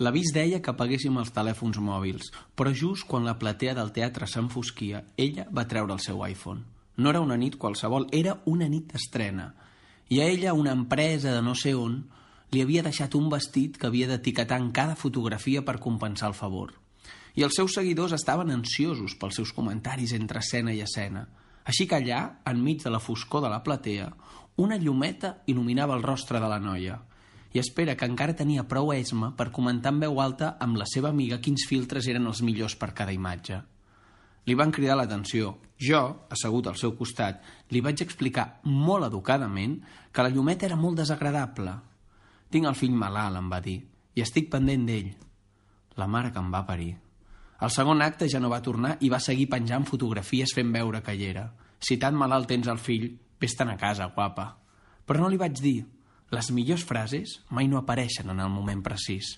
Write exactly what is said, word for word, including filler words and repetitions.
L'avís deia que apaguéssim els telèfons mòbils, però just quan la platea del teatre s'enfosquia, ella va treure el seu iPhone. No era una nit qualsevol, era una nit d'estrena. I a ella una empresa de no sé on li havia deixat un vestit que havia d'etiquetar en cada fotografia per compensar el favor. I els seus seguidors estaven ansiosos pels seus comentaris entre escena i escena. Així que allà, enmig de la foscor de la platea, una llumeta il·luminava el rostre de la noia. I espera que encara tenia prou esma per comentar en veu alta amb la seva amiga quins filtres eren els millors per cada imatge. Li van cridar l'atenció. Jo, assegut al seu costat, li vaig explicar molt educadament que la llumeta era molt desagradable. «Tinc el fill malalt», em va dir, «i estic pendent d'ell». La mare que em va parir. El segon acte ja no va tornar i va seguir penjant fotografies fent veure que hi era. «Si tan malalt tens el fill, vés-te'n a casa, guapa». Però no li vaig dir. Les millors frases mai no apareixen en el moment precís.